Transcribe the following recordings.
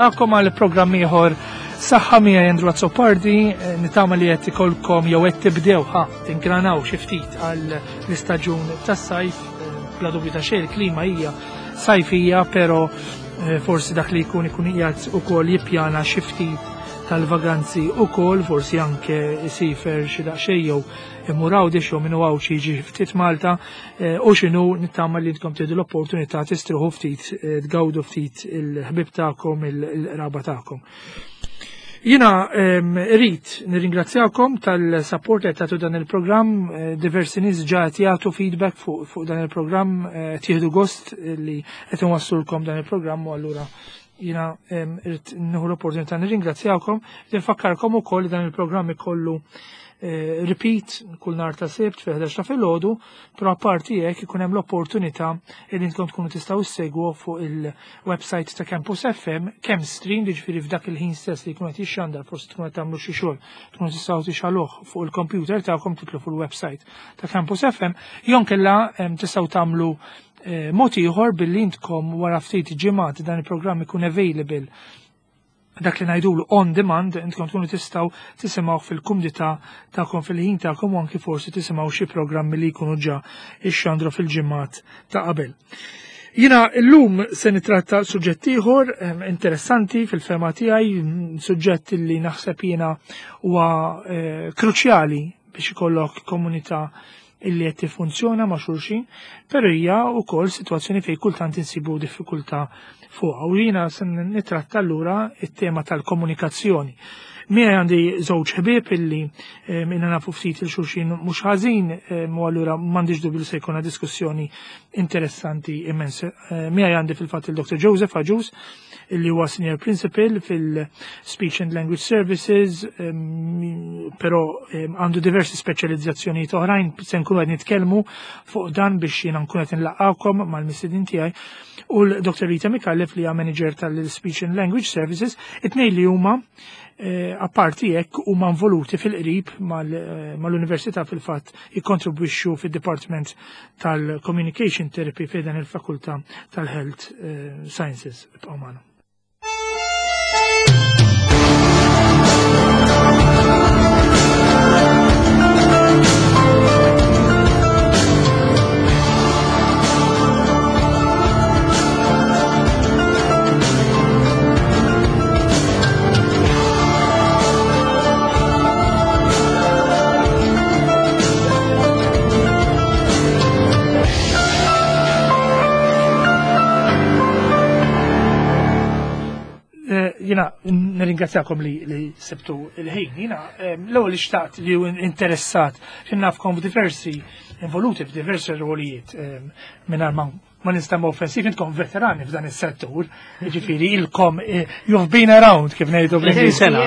Nilqakom għal programm ieħor Saħħa miegħi Andrew Azzopardi, eh, nitama li qed ikolkom jew qed tibdew ħa tingranaw xi ftit għal l-istaġun tas-sajf, eh, bla dubju ta' xejn il-klima hija sajfija, però eh, forsi dak li jkun ikun qiegħed ukoll jippjana xi ftit tal-vaganzi ukoll, forsi anke isifer xi daqsxejn jew imur Għawdex jew minnu Għawdx jiġi ftit Malta eh, u x'inhu nittama li intkom tieħdu l-opportunità tistriħu ftit, eh, tgawdu ftit il-ħbib tagħkom, il-qraba tagħkom. Jina ehm, rrit nirringrazzjakom tal-support li tagħtu dan il-programm, eh, diversi nies ġa qed jagħtu feedback fuq fu dan il-programm, tieħdu gost li qed inwassulkom dan il-programm u allura jina ehm, rrit nieħu l-opportunità nirringrazzjakom, nfakkarkom ukoll li dan il-programm ikollu eh, repeat kull nar ta' sibt fil-11 ta' filgħodu, però apparti hekk ikun hemm l-opportunità li intom tkunu tistgħu ssegwu fuq il-website ta' Campus FM kemm stream jiġifieri f'dak il-ħin stess li jkun qed jixxandar forsi tkun qed tagħmlu xi xogħol tkunu tistgħu tixaluh fuq il-computer tagħkom titlu fuq il-website ta' Campus FM jew kella tistgħu tagħmlu eh, mod ieħor billi intkom wara ftit ġimgħat dan il-programm ikun available dak li ngħidulu on demand, intkom tkunu tistgħu tisimgħu fil-kumdità tagħkom fil-ħin tagħkom u anki forsi tisimgħu xi programmi li jkunu ġa ixxandru fil-ġimgħat ta' qabel. Jina llum se nitratta suġġett ieħor interessanti fil-fema tiegħi, suġġett li naħseb jiena huwa eh, kruċjali biex ikollok komunità illi qed tiffunzjona ma' xulxin, però hija wkoll sitwazzjoni fejn kultant insibu diffikultà fuqha. U jiena se nitratta allura it-tema tal-komunikazzjoni. Miegħi għandi żewġ ħbieb illi eh, minna nafu ftit il xulxin mhux ħażin eh, u allura m'għandix dubju li se jkollna diskussjoni interessanti immens. Eh, miegħi għandi fil-fatt il-Dr. Joseph Agius illi huwa Senior Principal fil-Speech and Language Services, però għandu diversi speċjalizzazzjonijiet oħrajn se nkunu qed nitkellmu fuq dan biex jiena nkun qed inlaqgħukom mal-mistedin tiegħi u l-Dr. Rita Mikallef li hija Manager tal-Speech and Language Services, it-tnejn li huma eh, apparti hekk huma involuti fil-qrib eh, mal-Università fil-fatt jikkontribwixxu fid-Dipartiment tal-Communication Therapy fejn dan il-Fakultà tal-Health eh, Sciences. Ibqgħu magħna. Eh, jina nirringrazzjakom li, li sebtu il-ħin. Jina eh, l-ewwel li xtaqt li interessat li nafkom diversi involuti f'diversi rwolijiet eh, mingħajr ma ma nistemma offensiv, intkom veterani f'dan is-settur, jiġifieri ilkom eh, you've been around kif ngħidu bl sena.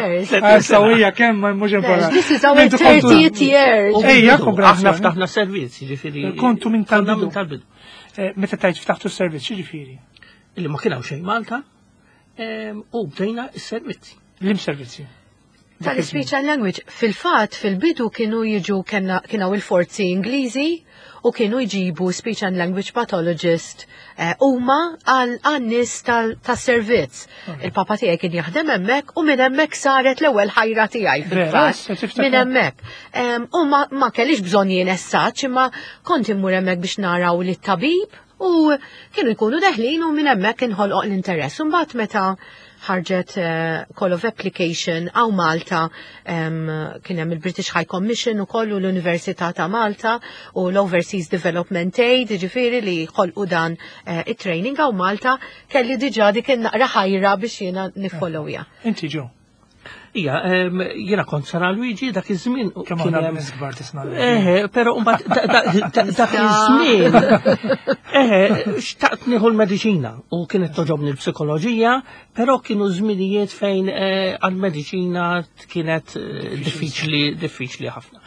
Sawija ah, kemm mhux importanti. This is our 30th year. Ejja, aħna ftaħna servizz, jiġifieri. Kontu minn tal-bidu. Eh, meta tajt ftaħtu servizz, jiġifieri? Illi ma kien hawn xejn Malta, u bdejna s-servizzi. Lim servizzi? Tal-speech and language, fil-fat, fil-bidu kienu jiġu kienu il-forzi Ingliżi u kienu jġibu speech and language pathologist eh, huma għal nies tas-servizz. Il-papa tiegħi kien jaħdem hemmhekk u minn hemmhekk saret l-ewwel ħajra tiegħi fil-fatt. Minn hemmhekk. U ma kellix bżonn jien essaċ imma kont immur hemmhekk biex naraw lit-tabib U kienu jkunu deħlin u minn hemmhekk inħolqoq l-interess. Imbagħad meta ħarġet eh, call of application għaw Malta kien hemm il-British High Commission u kollu l-Università ta' Malta u l-Overseas Development Aid, ġifieri li ħolqu dan eh, it-training għaw Malta kelli diġà dik naqra ħajra biex jiena nifollowja. Inti ġo. Ija, jiena kont Sara Luigi dak iż-żmien. Kemm aħna nies kbar tisma'. Eħe, però mbagħad dak iż-żmien. Eħe, xtaqt nieħu l-mediċina u kienet toġobni l-psikoloġija, però kienu żminijiet fejn eh, għall-mediċina kienet eh, diffiċli diffiċli ħafna.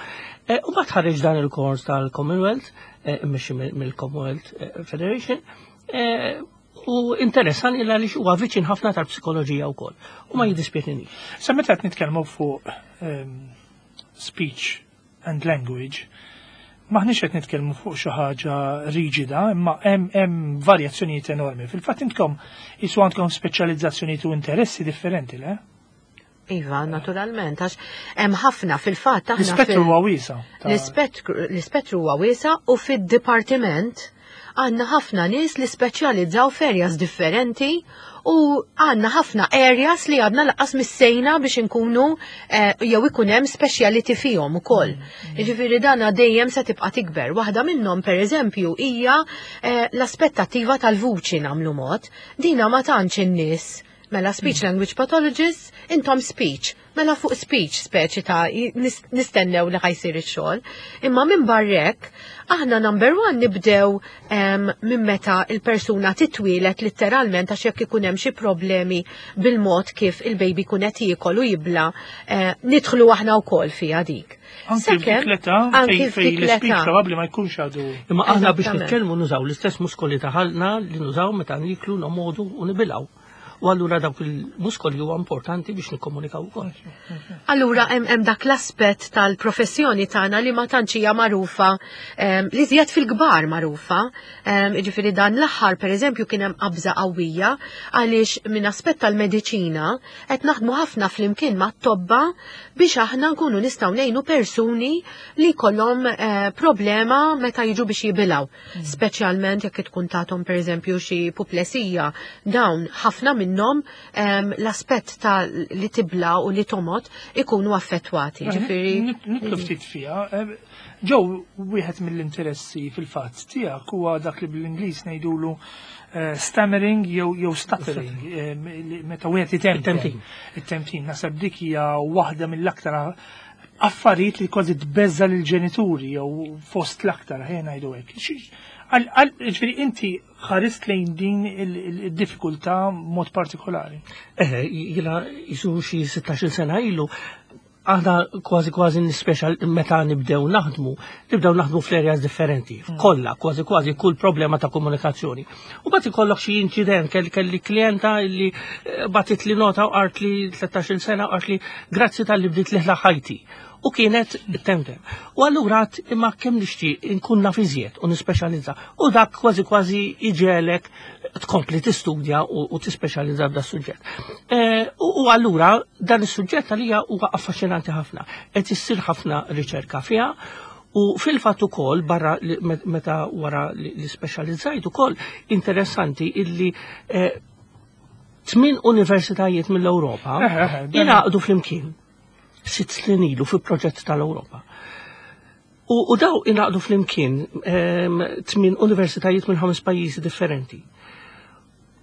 Eh, u mbagħad ħareġ dan il-kors tal-Commonwealth, immexxi mill-Commonwealth Federation, U interessani l għaliex huwa viċin ħafna tal-psikoloġija wkoll. U ma jiddispjaċini. Sa meta qed nitkellmu fuq ehm, speech and language, Maħniex qed nitkellmu fuq xi ħaġa riġida, imma hemm varjazzjonijiet enormi. Fil-fatt intkom jisu għandkom speċjalizzazzjonijiet u interessi differenti, le? Iva, naturalment, għax hemm ħafna fil-fatt aħna. L-ispettru huwa wiesa. L-ispettru huwa wiesa u fid-dipartiment għandna ħafna nies li speċjalizzaw f'areas differenti u għandna ħafna areas li għadna laqqas missejna biex inkunu jew ikun hemm speciality fihom ukoll. Jiġifieri dan dejjem se tibqa' tikber. Waħda minnhom pereżempju hija l-aspettattiva tal-vuċi nagħmlu mod. Dina ma tantx in-nies. Mela speech language pathologists, intom speech. Mela fuq speech speċi ta' nistennew li ħa jsir ix-xogħol. Imma minn barrek, aħna number one nibdew minn meta il-persuna titwielet letteralment, għax jekk ikun hemm xi problemi bil-mod kif il-baby kun qed jiekol u jibla, nidħlu aħna wkoll fiha dik. Anki f'dik l-età fejn l-speech probabbli ma jkunx għadu. Imma aħna biex nitkellmu nużaw l-istess muskoli ta' ħalqna li nużaw meta niklu, nomodu u nibilgħu. U allura dawk il-muskoli huwa importanti biex nikkomunikaw ukoll. Allura hemm dak l-aspett tal-professjoni tagħna li ma tantx hija magħrufa, li żjed fil-kbar magħrufa. Jiġifieri dan l-aħħar pereżempju kien hemm qabża qawwija għaliex minn aspett tal-mediċina qed naħdmu ħafna flimkien mat-tobba biex aħna nkunu nistgħu ngħinu persuni li jkollhom problema meta jiġu biex jibilgħu. Speċjalment jekk tkun tagħthom pereżempju xi puplesija, dawn ħafna minnhom l-aspett ta' li tibla u li tomot ikunu affettwati. Ġifieri Nitlu ftit fiha. Ġew wieħed mill-interessi fil-fatt tiegħek huwa dak li bl-Ingliż ngħidulu stammering jew stuttering, meta wieħed itemtem. It-temtim. It-temtim. Naħseb dik hija waħda mill-aktar affarijiet li kważi tbeżza lill-ġenituri jew fost l-aktar, ħejja ngħidu hekk. Ġifieri inti ħarist lejn din il-diffikultà mod partikolari. Jiena jisu xi 16-il sena ilu, aħna kważi kważi nispeċjal meta nibdew naħdmu, nibdew naħdmu fl-areas differenti, kollha, kważi kważi kull problema ta' komunikazzjoni. U bagħad ikollok xi inċident, kelli klienta li bagħtet li nota u qalt li 13-il sena u qalt li grazzi tal-li bdiet li ħajti. U kienet temtem. U allura għad imma kemm nixtieq inkun naf iżjed u nispeċjalizza. U dak kważi kważi iġelek tkompli tistudja u tispeċjalizza f'da suġġett. U allura dan is-suġġett għalija huwa affaxxinanti ħafna. Qed issir ħafna riċerka fiha u fil-fatt ukoll barra li meta wara li speċjalizzajt ukoll interessanti illi 8 universitajiet mill-Ewropa ingħaqdu flimkien 6 snin ilu fi proġett tal-Ewropa. U daw ingħaqdu flimkien 8 universitajiet minn 5 pajjiżi differenti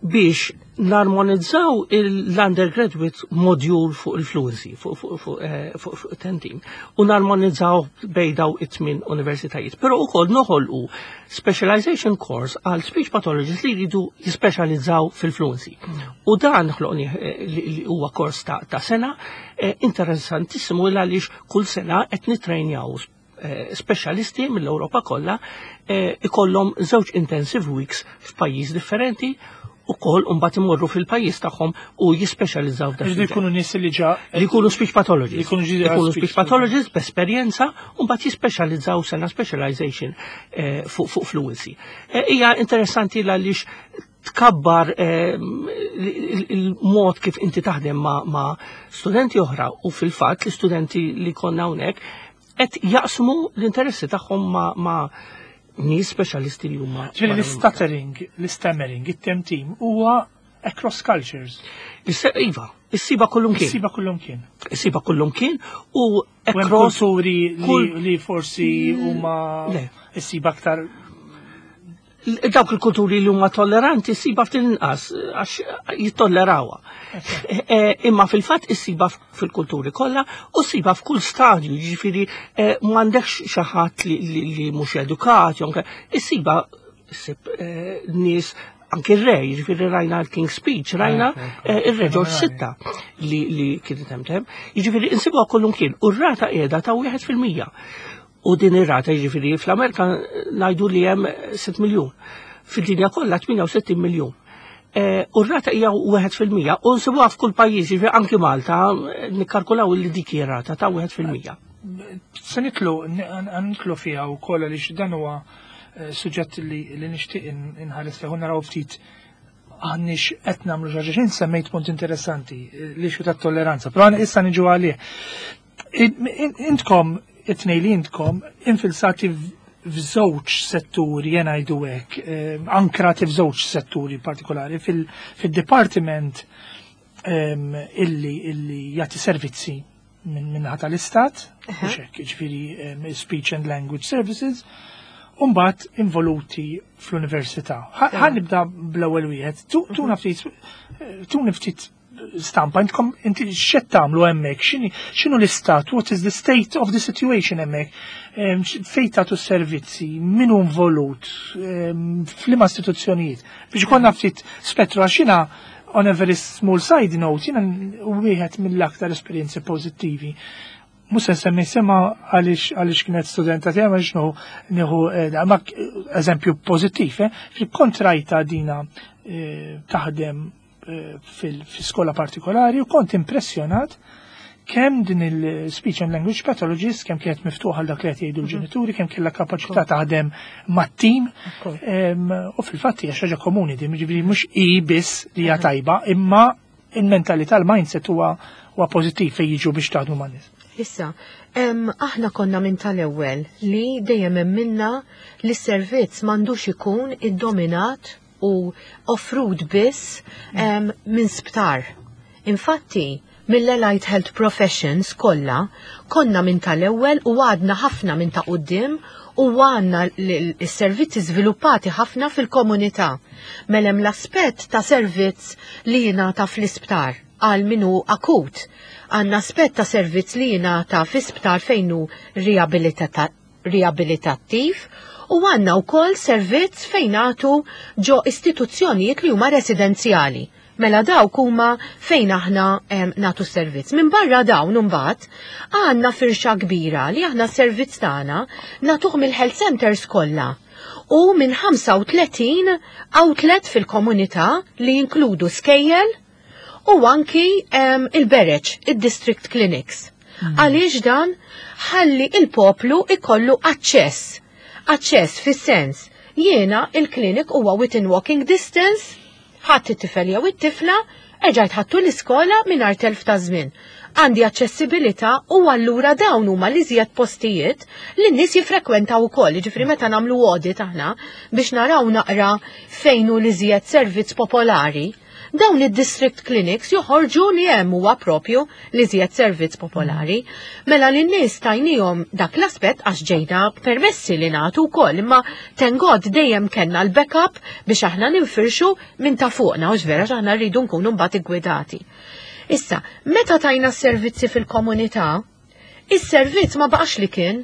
biex narmonizzaw l-undergraduate module fuq il-fluency, fuq tentim, u narmonizzaw bej daw it-8 universitajiet. Però ukoll noħolqu specialization course għal speech pathologists li jridu jispeċjalizzaw fil-fluency. U dan ħloqni li huwa kors ta' sena interessantissimu għaliex kull sena qed nitrejnjaw speċjalisti mill-Ewropa kollha ikollhom żewġ intensive weeks f'pajjiż differenti u kol mbagħad imorru fil-pajjiż tagħhom u jispeċjalizzaw f'dak Ġifieri il-ġenn. jkunu nies li ġa Li jkunu speech pathologists. Li jkunu ġi Jkunu speech speech pathologists b'esperjenza u mbagħad jispeċjalizzaw sena specialization fuq fluency. Hija interessanti għaliex tkabbar il-mod kif inti taħdem ma' studenti oħra u fil-fatt l-istudenti li konna hawnhekk qed jaqsmu l-interessi tagħhom ma' nies speċjalisti li huma Ġifieri barra l-stuttering, l-stammering, it-temtim huwa across cultures. Iva, issiba kullum kien. Issiba kullum kien. Issiba kullum kien u U hemm across kulturi kull li forsi huma Le. issiba aktar Dawk il-kulturi li huma tolleranti issiba ftit inqas għax jittollerawha. Imma fil-fatt issiba fil-kulturi kollha u ssiba f'kull stadju, jiġifieri m'għandekx xi ħadd li mhux edukat, jew anke issiba issib nies anke r-re, jiġifieri rajna l-King's Speech, rajna, ir-re George Sitta li kien temtem, jiġifieri insibuha kullum kien u r-rata qiegħda ta' wieħed fil-mija. U din ir-rata jiġifieri fl-Amerika ngħidu li hemm 6 miljun. Fid-dinja kollha 68 miljun. U r-rata hija wieħed fil-mija u nsibuha f'kull pajjiż, jiġifieri anki Malta nikkalkulaw li dik hija rata ta' wieħed fil-mija. Se nitlu, nitlu fiha wkoll għaliex dan huwa suġġett li nixtieq inħares li naraw ftit għandniex qed nagħmlu xi ħaġa. Semmejt punt interessanti, l-issue tat-tolleranza, però issa niġu għalih. Intkom, it-tnej li intkom, infilsati f'żewġ setturi, jena ngħidu hekk, ankrati f'żewġ setturi partikolari, fil-department illi jagħti servizzi min-naħa tal-istat, mhux hekk, jiġifieri Speech and Language Services, u mbagħad involuti fl-università. Ħa nibda bl-ewwel wieħed. Tuna ftit stampa, intkom inti x'qed tagħmlu hemmhekk, x'inhu l-istat, what is the state of the situation hemmhekk, fejn tagħtu servizzi, min hu involut, f'liema istituzzjonijiet. Biex ikollna ftit spettru għax jiena, on a very small side note, jiena wieħed mill-aktar esperjenzi pożittivi. Mhux se nsemmi sema għaliex kienet studenta tiegħi ma xnu nieħu ma eżempju pożittiv, kont rajtha dina taħdem fil-skola partikolari u kont impressjonat kemm din il-speech and language pathologist, kemm kienet miftuħa għal dak li qed jgħidu l-ġenituri, kemm kellha kapaċità taħdem mat-tim. U fil-fatt hija xi ħaġa komuni din, jiġifieri mhux hi biss li hija tajba, imma il-mentalità, il-mindset huwa pożittiv fejn jiġu biex taħdmu man-nies. Issa, aħna konna minn tal-ewwel li dejjem emminna li s-servizz m'għandux ikun iddominat u offrut biss minn sptar. Infatti, mill-Allied Health Professions kollha konna minn tal-ewwel u għadna ħafna minn ta' quddiem u għandna l-servizzi żviluppati ħafna fil-komunità. Mela hemm l-aspett ta' servizz li jingħata fl-isptar għal minu akut. Għandna aspett ta' servizz li jingħata fl-isptar fejn hu riabilitattiv u għandna wkoll servizz fejn nagħtu ġo istituzzjonijiet li huma residenzjali. Mela dawk huma fejn aħna nagħtu servizz. Minn barra dawn imbagħad għandna firxa kbira li aħna s-servizz tagħna nagħtuh mill-health centers kollha u minn 35 outlet fil-komunità li jinkludu skejjel u anki il-bereċ, il-district clinics. Għaliex dan? Ħalli il-poplu ikollu aċċess. Aċċess fis-sens, jiena il-klinik huwa within walking distance, ħadd it-tifel jew it-tifla, erġajt ħadtu l-iskola mingħajr telf ta' żmien. Għandi aċċessibilità u allura dawn huma li iżjed postijiet li n-nies jiffrekwentaw ukoll. Jiġifieri meta nagħmlu audit aħna biex naraw naqra fejn hu l-iżjed servizz popolari, dawn id-district clinics joħorġu li hemm huwa propju li iżjed servizz popolari. Mela li n-nies tajnihom dak l-aspett għax ġejna permessi li nagħtu wkoll, imma thank God dejjem kellna l-backup biex aħna ninfirxu minn ta' fuqna, u vera aħna rridu nkunu mbagħad iggwidati. Issa, meta tajna s-servizzi fil-komunità, is-servizz ma baqax li kien.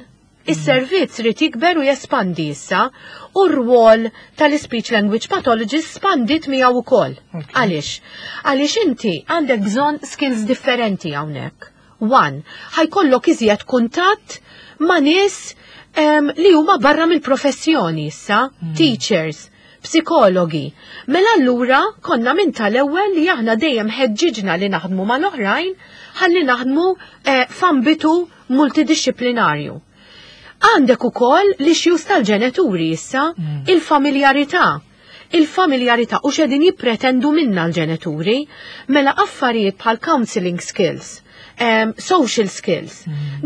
Is-servizz rid jikber u jespandi issa u r-rwol tal-speech language pathologist spandit miegħu wkoll. Għaliex? Għaliex inti għandek bżonn skills differenti hawnhekk. One, ħa jkollok iżjed kuntatt ma' nies li huma barra mill-professjoni issa, teachers, psikologi. Mela allura konna minn tal-ewwel li aħna dejjem ħeġġiġna li naħdmu mal-oħrajn ħalli naħdmu f'ambitu multidisciplinarju. Għandek ukoll l-issues tal-ġenituri issa, il-familjarità. Il-familjarità u x'qegħdin jippretendu minna l-ġenituri, mela affarijiet bħal counseling skills, social skills.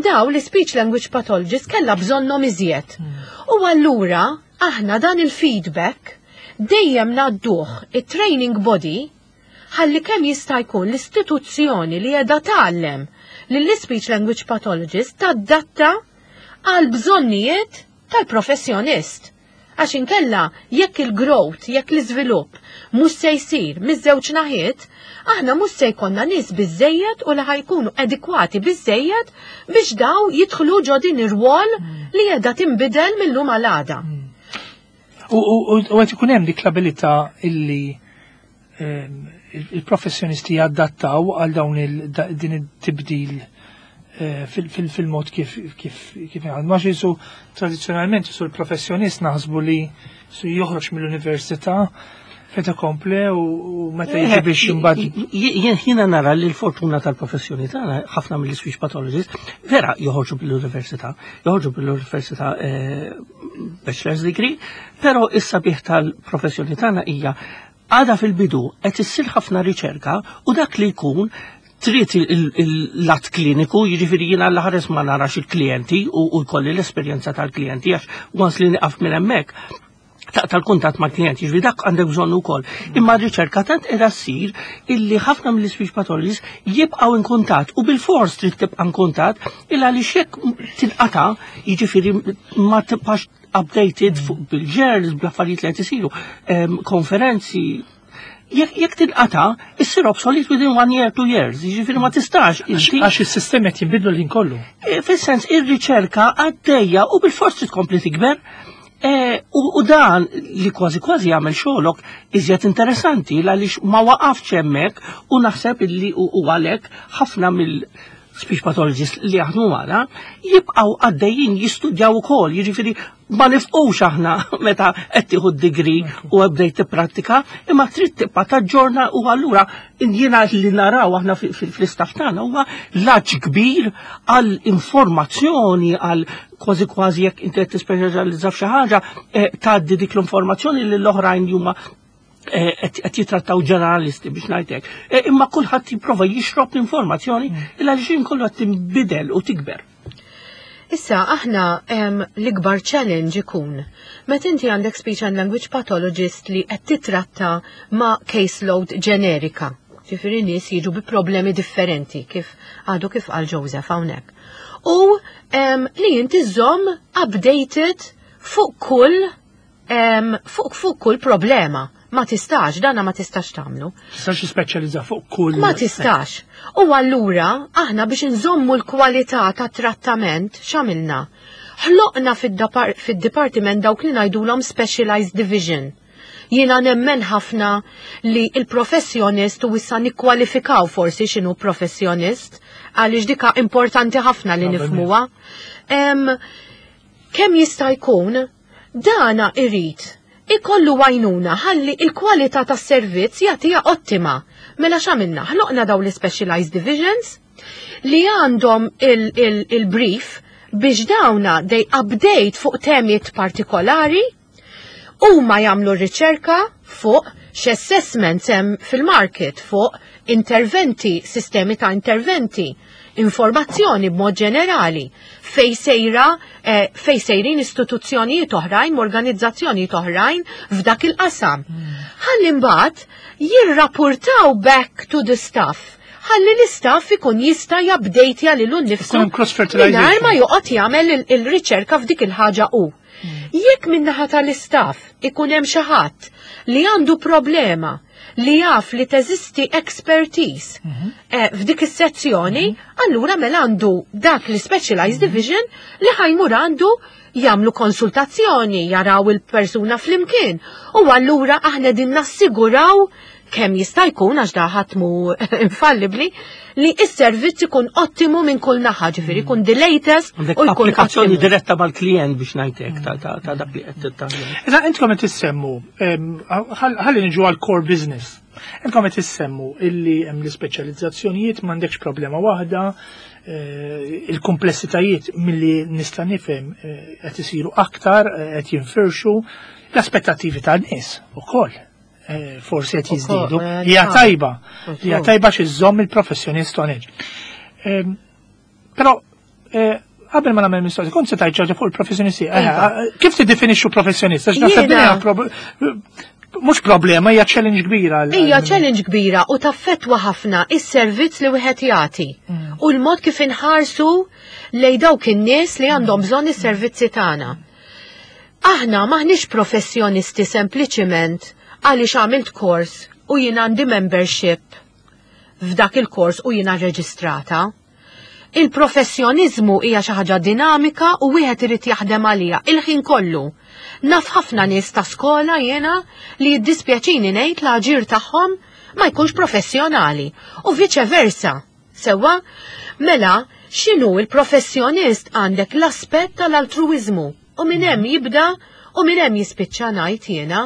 Daw li speech language pathologist kella bżonnhom iżjed. U allura aħna dan il-feedback dejjem ngħadduh it-training body ħalli kemm jista' jkun l-istituzzjoni li qiegħda tgħallem lill-speech language pathologist tadatta għal bżonnijiet tal-professjonist. Għax inkella jekk il-growth, jekk l-iżvilupp mhux se jsir miż-żewġ naħiet, aħna mhux se jkollna nies biżejjed u li ħa jkunu adekwati biżejjed biex daw jidħlu ġo din ir-rwol li qiegħda tinbidel mill-lum għal għada. U qed ikun hemm dik l-abilità illi il-professjonisti jadattaw għal dawn din it-tibdil fil-mod kif għal. Ma jisu tradizzjonalment jisu l-professjonist naħsbu li su joħroġ mill-università fait accompli u meta jiġi biex imbagħad. Jiena nara li l-fortuna tal-professjoni tagħna, ħafna mill-speech pathologist. Vera joħorġu bil-università, joħorġu bil-università eh, bachelor's degree, però is-sabiħ tal-professjoni tagħna hija għada fil-bidu qed issir ħafna riċerka u dak li jkun trid il-lat kliniku, jiġifieri jiena l-ħares ma narax il-klijenti u jkolli l-esperjenza tal-klijenti għax once li nieqaf minn hemmhekk tal-kuntatt ma' klient, jiġifieri dak għandek bżonn ukoll. Imma r-riċerka tant qiegħda ssir illi ħafna mill-speech pathologists jibqgħu in kuntatt u bil-fors trid tibqa' in kuntatt illa li xek tinqata' jiġifieri ma tibqax updated fuq bil-ġerls, bl-affarijiet li qed isiru, konferenzi, jekk tinqata, issir obsolete within one year, 2 years, jiġifieri ma tistax. Għax is-sistemi qed jinbidlu l-ħin kollu. E, fis-sens ir-riċerka għaddejja u bil-fors trid tkompli tikber. E, u dan li kważi kważi jagħmel xogħolok iżjed interessanti għaliex ma waqafx hemmhekk u naħseb illi u għalhekk ħafna mill speech pathologists li jaħdmu magħna jibqgħu għaddejjin jistudjaw ukoll, jiġifieri ma nifqux aħna meta qed tieħu d-degree u bdejt tipprattika, imma trid tibqa' taġġorna u allura jiena li naraw aħna fl-istaff tagħna huwa laġ kbir għal informazzjoni għal kważi kważi jekk inti qed tispeċjalizza f'xi ħaġa eh, tgħaddi dik l-informazzjoni lil oħrajn li huma eh, qed jitrattaw ġeneralisti biex ngħidlek. Eh, imma kulħadd jipprova jixrob l-informazzjoni il għaliex kollu qed tinbidel u tikber. Issa, aħna l-ikbar challenge ikun meta inti għandek speech and language pathologist li qed titratta ma' caseload ġenerika. Ġifieri nies jiġu bi problemi differenti kif għadu kif qal Joseph hawnhekk. U li inti żomm updated fuq kull problema. Ma tistax, dana ma tistax tagħmlu. Tistax tispeċjalizza fuq kull. Ma tistax. U allura aħna biex nżommu l-kwalità ta' trattament x'għamilna? Ħloqna fid-dipartiment dawk li ngħidulhom specialized division. Jiena nemmen ħafna li il-professjonist u issa nikkwalifikaw forsi x'inhu professjonist għaliex dika importanti ħafna li nifhmuha. Kemm jista' jkun dana irid ikollu għajnuna ħalli il-kwalità tas-servizz jagħtiha ottima. Mela x'għamilna? Ħloqna daw l-specialized divisions li għandhom il-brief biex dawna they update fuq temiet partikolari u ma jagħmlu riċerka fuq x'assessments hemm fil-market fuq interventi, sistemi ta' interventi, informazzjoni b'mod ġenerali fej sejra fej sejrin istituzzjonijiet oħrajn, organizzazzjonijiet oħrajn f'dak il-qasam. Ħalli mbagħad jirrapportaw back to the staff ħalli l-istaff ikun jista' jabdejtja lilu nnifsu Ikun hemm cross-fertilization. mingħajr ma joqgħod jagħmel il-riċerka f'dik il-ħaġa u. Jekk min-naħa tal-istaff ikun hemm xi ħadd li għandu problema li jaf li teżisti expertise f'dik is-sezzjoni, allura mela għandu dak li specialized division li ħa jmur għandu jagħmlu konsultazzjoni, jaraw il-persuna flimkien. U allura aħna din nassiguraw kemm jista' jkun għax da ħadd mhu infallibli li s-servizz ikun ottimu minn kull naħa, ġifieri jkun the latest Għandek u jkun applikazzjoni ottimu. diretta mal-klient biex ngħidlek ta' dak li qed tagħmel. Iżda intkom qed issemmu, ħalli niġu għal core business. Intkom qed issemmu illi hemm l-ispeċjalizzazzjonijiet m'għandekx problema waħda, il-komplessitajiet milli nista' nifhem qed isiru aktar, qed jinfirxu l-aspettattivi tan-nies ukoll. Forsi qed jiżdiedu. Hija tajba, hija tajba x'iżżomm il-professjonist on edge. Però qabel ma nagħmel mistoqsija, kont se tgħid ħaġa fuq il-professjonisti. Kif tiddefinixxu professjonist? Għax naħseb din hija mhux problema, hija challenge kbira. Hija challenge kbira u taffetwa ħafna is-servizz li wieħed jagħti u l-mod kif inħarsu lej dawk in-nies li għandhom bżonn is-servizzi tagħna. Aħna maħniex professjonisti sempliċiment għaliex għamilt kors u jien għandi membership f'dak il-kors u jiena reġistrata. Il-professjonizmu hija xi ħaġa dinamika u wieħed irid jaħdem għaliha il-ħin kollu. Naf ħafna nies ta' skola jiena li jiddispjaċini ngħid l-aġir tagħhom ma jkunx professjonali u viċe versa. Sewa, mela, x'inhu il-professjonist għandek l-aspett tal-altruizmu u minn hemm jibda u minn hemm jispiċċa ngħid jiena.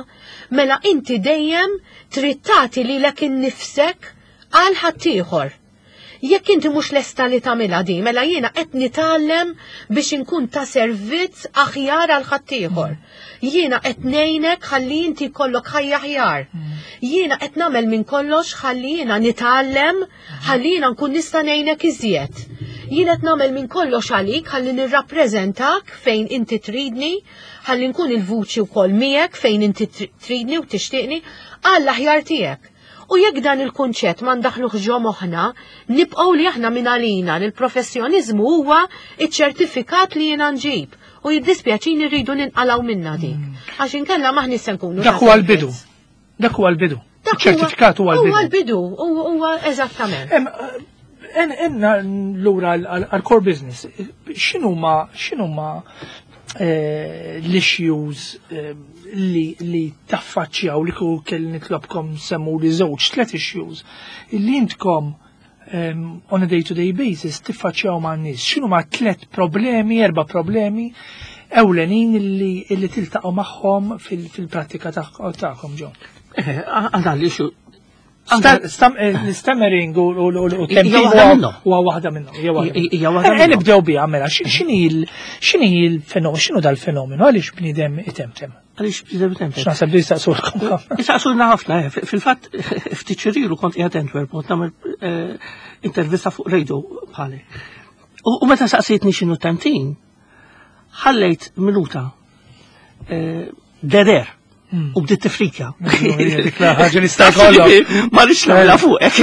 Mela inti dejjem trid tagħti lilek innifsek għal ħaddieħor. Jekk inti mhux lesta li tagħmilha di, mela jiena qed nitgħallem biex inkun ta' servizz aħjar għal ħaddieħor. Jiena qed ngħinek ħalli inti jkollok ħajja aħjar. Jiena qed nagħmel minn kollox ħalli jiena nitgħallem ħalli jiena nkun nista' ngħinek iżjed. Jiena qed nagħmel minn kollox għalik ħalli nirrappreżentak fejn inti tridni, ħalli nkun il-vuċi wkoll miegħek fejn inti tridni u tixtieqni għall-aħjar tiegħek. U jekk dan il-kunċett ma ndaħluh ġo moħħna, nibqgħu li aħna minn għalina li l-professjoniżmu huwa iċ-ċertifikat li jiena nġib. U jiddispjaċini rridu ninqalgħu minna dik. Għax inkella maħni se nkunu. Dak huwa l-bidu. Dak huwa l-bidu. Ċertifikat huwa l-bidu. Huwa l-bidu, huwa eżattament. Enna lura għal-core business, x'inhuma x'inhuma l-issues li taffaċċjaw li kieku kelli nitlobkom semmu li żewġ tlet issues li intkom on a day-to-day basis tiffaċċjaw ma' nies. X'inhuma tlet problemi, erba' problemi ewlenin li tiltaqgħu magħhom fil-prattika tagħkom ġo? Għandha l-issue Stammering u Hija waħda minnhom. Huwa waħda minnhom. Hija waħda Hija waħda minnhom. Nibdew biha mela, x'inhi l-fenomenu, x'inhu dal-fenomenu, għaliex bniedem itemtem? Għaliex bniedem itemtem? X'naħseb li jistaqsulkom ħafna. Jistaqsulna ħafna, fil-fatt ftit xhur ilu kont qiegħed Antwerp kont nagħmel intervista fuq radio bħali. U meta saqsietni x'inhu temtim, ħallejt minuta dead air. U bdiet tifrikja. Dik ħaġa li sta kollha. Ma rridx nagħmilha fuqek.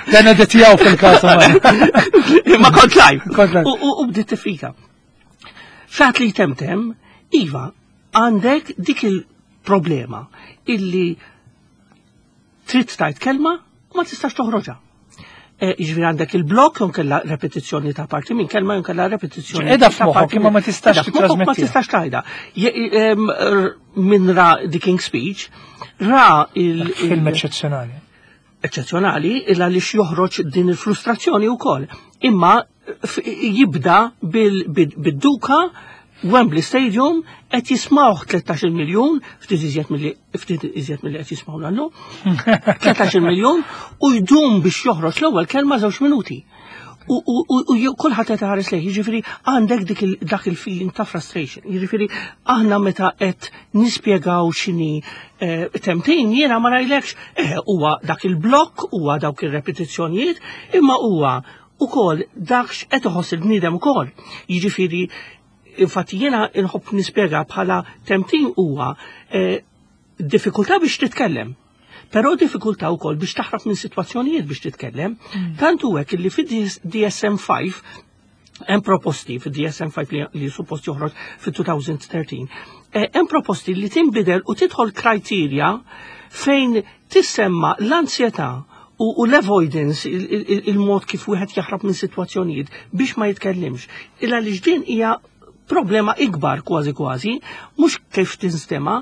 Dan editjaw fil-każ. Ma kont live. Kont live. U bdiet tifrikja. X'għad li temtem, iva, għandek dik il-problema illi trid tgħid kelma u ma tistax toħroġha. Jiġifieri għandek il-blok jew kella repetizzjoni ta' parti minn kelma jew kella repetizzjoni. Qiegħda ta' f'moħħok, parti imma ma minn- tistax Qiegħda f'moħħok, ma titrasmettiha. tistax tgħidha. Min ra The King's Speech, ra il- Film il- eċċezzjonali. eċċezzjonali illa li joħroġ din il-frustrazzjoni wkoll. Imma jibda bid-duka Wembley Stadium qed jismawh 13 miljun, ftit iżjed milli qed jismawna llum, 13 miljun u jdum biex joħroġ l-ewwel kelma 2 minuti. U kulħadd qed iħares lejh, jiġifieri għandek dak il-feeling ta' frustration. Jiġifieri aħna meta qed nispjegaw x'inhi temtim, jiena ma ngħidlekx huwa dak il-blokk, huwa dawk ir-repetizzjonijiet, imma huwa ukoll dak x'qed iħoss il-bniedem ukoll. Jiġifieri infatti jiena nħobb nispjega bħala temtim huwa diffikultà biex titkellem. Però diffikultà wkoll biex taħrab minn sitwazzjonijiet biex titkellem. Tant hu hekk li fid-DSM-5 hemm proposti fid-DSM-5 li suppost joħroġ fit-2013. Hemm proposti li tinbidel u tidħol criteria fejn tissemma l-ansjetà u l-avoidance, il-mod kif wieħed jaħrab minn sitwazzjonijiet biex ma jitkellimx. Illa li din hija problema ikbar kważi kważi, mhux kif tinstema,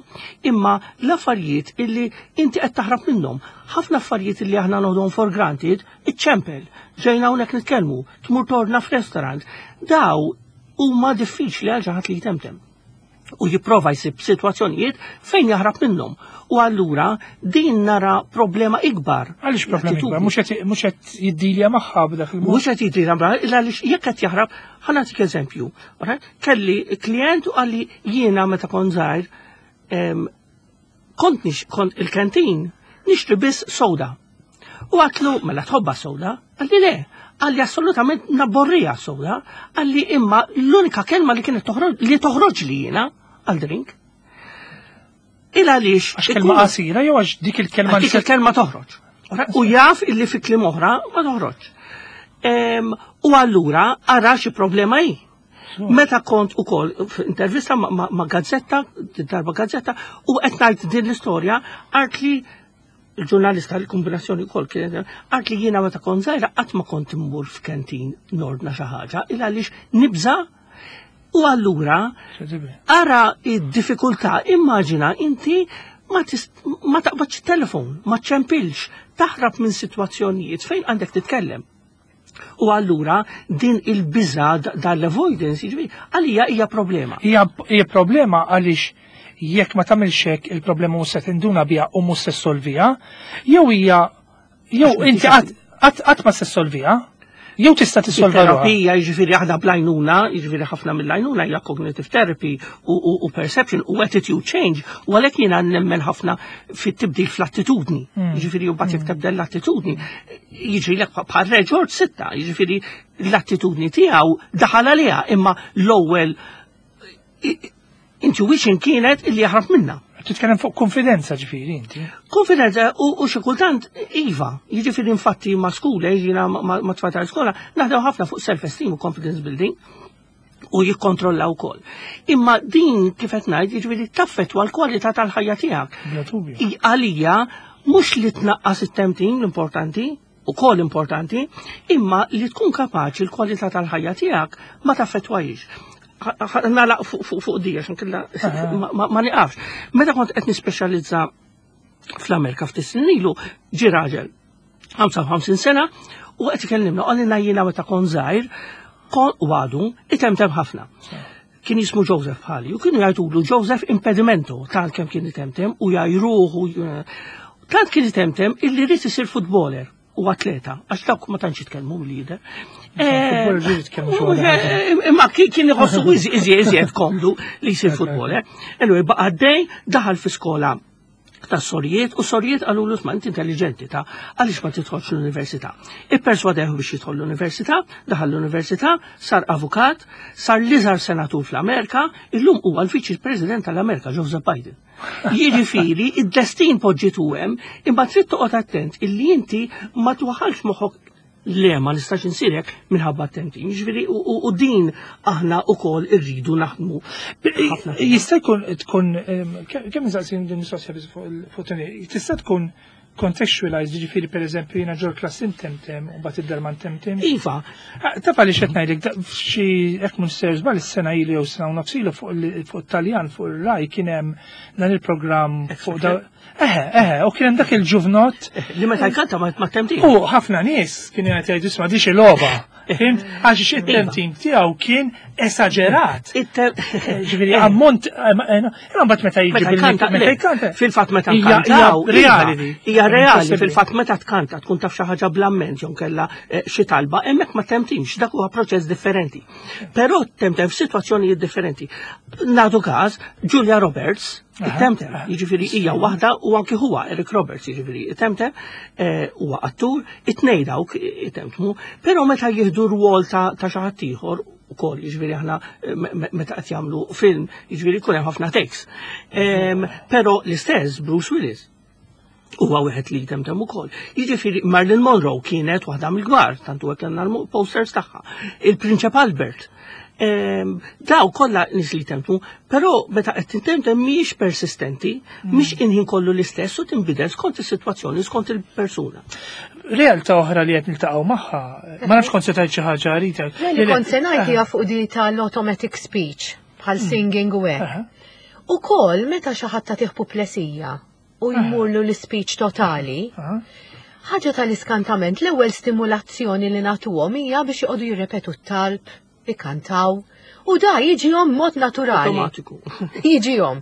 imma l-affarijiet illi inti qed taħrab minnhom. Ħafna affarijiet illi aħna noħduhom for granted, iċċempel, ġejna hawnhekk nitkellmu, tmur torna f'restaurant. Daw huma diffiċli għal xi ħadd li jtemtem. U jipprova jsib sitwazzjonijiet fejn jaħrab minnhom. U allura din nara problema ikbar. Għaliex problema ikbar? Mhux qed jiddilja magħha b'dak il-mod. Mhux qed jiddilja magħha, illa għaliex jekk qed jaħrab, ħa nagħtik eżempju. Alright? Kelli klient u qalli jiena meta kont żgħir, kont il-kantin nixtri biss soda. U għatlu, mela tħobba soda? Qalli le. Qalli assolutament nabborrija soda. Qalli imma l-unika kelma li kienet toħroġ, li toħroġ li jiena għal drink. Il għaliex Għax kelma qasira jew għax dik il-kelma Għax dik il-kelma toħroġ. U jaf illi fi kliem oħra ma toħroġ. U allura ara xi problema hi. Meta kont ukoll f'intervista ma' gazzetta, darba gazzetta, u qed ngħid din l-istorja, qalt li il-ġurnalista l-kombinazzjoni wkoll kienet, qalt li jiena meta kont żgħira qatt ma kont immur f'kantin nordna xi ħaġa, il għaliex nibża. U allura ara id-diffikultà, immaġina inti ma taqbadx telefon, ma ċempilx, taħrab minn sitwazzjonijiet fejn għandek titkellem. U allura din il-biża dal-avoidance, jiġifieri, għalija hija problema. Hija problema għaliex jekk ma tagħmilx hekk il-problema mhux se tinduna biha u mhux se ssolviha, jew hija jew Għax ma inti tixtieq. qatt ma se ssolviha. Jew tista' tissolva Terapija, jiġifieri aħna bl-għajnuna, jiġifieri ħafna mill-għajnuna hija cognitive therapy u perception u attitude change, u għalhekk jiena nemmen ħafna fit-tibdil fl-attitudni. Jiġifieri u mbagħad jekk tibdel l-attitudni, jiġri lek bħal Re George VI, jiġifieri l-attitudni tiegħu daħal għaliha, imma l-ewwel intuition kienet illi jaħrab minna. Titkellem fuq konfidenza ġifieri inti. Konfidenza u xi kultant iva, jiġifieri infatti ma' skole, jiena ma' tfal tal-iskola, naħdem ħafna fuq self-esteem u confidence building u jikkontrollaw ukoll. Imma din kif qed ngħid, jiġifieri taffettwa l-kwalità tal-ħajja tiegħek. Bla dubju. Għalija mhux li tnaqqas it-temtim l-importanti, ukoll importanti, imma li tkun kapaċi l-kwalità tal-ħajja tiegħek ma taffettwajx. Nagħlaq fuq di, għax inkella ma niqafx. Meta kont qed nispeċjalizza fl-Amerika ftit snin ilu, ġi raġel 55 sena u qed ikellimna, qalilna jiena meta kont żgħir, kon u għadu itemtem ħafna. Kien jismu Joseph bħali u kienu jgħidulu Joseph Impedimento, tant kemm kien itemtem u jgħajruh u tant kien itemtem illi ried isir footballer u atleta, għax dawk ma tantx jitkellmu l-lider. Footballer ġieli jitkellmu xi waħda. Imma kien iħossu iżjed komdu li jsir footballer. Anyway, baqa' għaddej, daħal fi skola ta' sorijiet u sorijiet qalulu ma inti intelligenti ta' għaliex ma tidħolx l-università. Ipperswadew biex jidħol l-università, daħal l-università, sar avukat, sar l-iżgħar senatur fl-Amerika, illum huwa l-Viċi President tal-Amerika, Joseph Biden. Jiġifieri, id-destin poġġitu hemm, imma trid toqgħod attent illi inti ma twaħħalx moħħok le ma nistax insirek minħabba t-temtim. Jiġifieri, u din aħna wkoll irridu naħdmu ħafna. Jista' jkun tkun kemm nistaqsi din mistoqsija biss fuq it-tnejn, tista' tkun contextualized, jiġifieri pereżempju jiena ġol klassi ntemtem u mbagħad id-dar ma ntemtem. Iva. Ah, taf għaliex qed ngħidlek, f'xi hekk mhux ser żball is-sena ilu jew sena u nofs ilu fuq it-Taljan fuq ir-Rai kien hemm dan il-programm fuq da. Eħe, eħe, u kien hemm dak il-ġuvnott li meta jkanta ma temtim. U ħafna nies kienu qed jgħidu isma' di xi logħba. Fhimt? Għax it-temtim tiegħu kien esaġerat. Ġifieri ammont, imma mbagħad meta jiġi Meta bil- jkanta, meta le, jkanta. Fil-fatt meta Hija nkantaw, reali iva, di. Hija reali, Impossibbli. fil-fatt meta tkanta tkun taf xi ħaġa bl-amment jew kellha xi talba, hemmhekk ma temtimx, dak huwa proċess differenti. Però temtem f'sitwazzjonijiet differenti. Nagħtu każ, Julia Roberts, temtem, jiġifieri hija waħda u anki huwa Eric Roberts, jiġifieri temtem, huwa attur, it-tnejn dawk itemtmu, però meta jieħdu rwol ta' xi ħadd ieħor ukoll, jiġifieri aħna meta qed jagħmlu film, jiġifieri jkun hemm ħafna takes. Però l-istess Bruce Willis huwa wieħed li jtemtem ukoll. Jiġifieri Marilyn Monroe kienet waħda mill-kbar, tantu hekk kellna l-posters tagħha. Il-Prinċep Albert. Daw kollha nies li jtemtmu, però meta qed tintemtem mhijiex persistenti, mhix inħin kollu l-istess u tinbidel skont is-sitwazzjoni, skont il-persuna. Realtà oħra li qed niltaqgħu magħha, ma nafx kont se tgħid xi ħaġa Rita. Le, li kont se ngħid hija fuq di tal-automatic speech bħal singing u hekk. Ukoll meta xi ħadd tagħtih puplesija u jmurlu l-speech totali, ħaġa tal-iskantament, l-ewwel stimulazzjoni li nagħtuhom hija biex joqogħdu jirrepetu t-talb, ikantaw, u da jiġihom mod naturali. Automatiku. Jiġihom.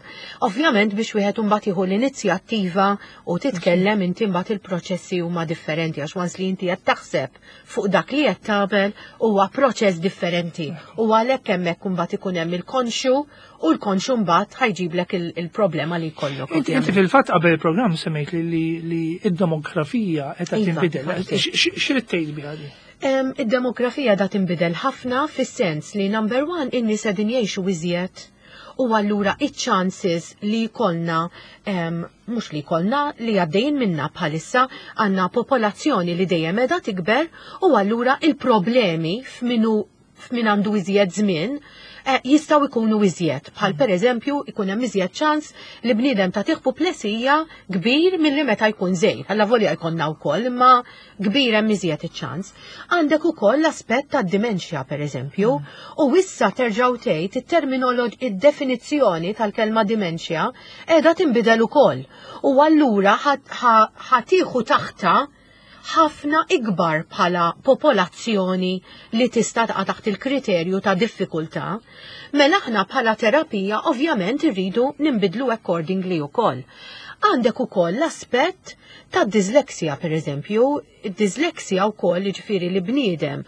Ovvjament biex wieħed imbagħad jieħu l-inizjattiva u titkellem inti mbagħad il-proċessi huma differenti għax once li inti qed taħseb fuq dak li qed tagħmel huwa proċess differenti. U għalhekk hemmhekk imbagħad ikun hemm il-konxu u l-konxu mbagħad ħa jġiblek il-problema li jkollok. Inti fil-fatt qabel il-programm semmejt li id-demografija qed Iva, tinbidel. infatti. X'rid tgħid biha di? Id-demografija da tinbidel ħafna fis-sens li number one in-nies qegħdin jgħixu iżjed u allura iċ-chances li jkollna, mhux li jkollna, li għaddejjin minna bħalissa għandna popolazzjoni li dejjem qiegħda tikber u allura il-problemi f'min għandu iżjed żmien jistgħu jkunu iżjed. Bħal per eżempju ikun hemm iżjed ċans li bniedem ta' puplesija kbir milli meta jkun żgħir. Alla volja jkollna wkoll, imma kbir hemm iżjed iċ-ċans. Għandek ukoll l-aspett tad-dimensja per eżempju, u issa terġgħu tgħid id-definizzjoni tal-kelma dimensja qiegħda tinbidel ukoll. U allura ħa tieħu taħtha ħafna ikbar bħala popolazzjoni li tista' taqa' taħt il-kriterju ta' diffikultà, mela aħna bħala terapija ovvjament irridu nimbidlu accordingly ukoll. Għandek ukoll l-aspett ta' disleksja, per eżempju, disleksja wkoll, jiġifieri li bniedem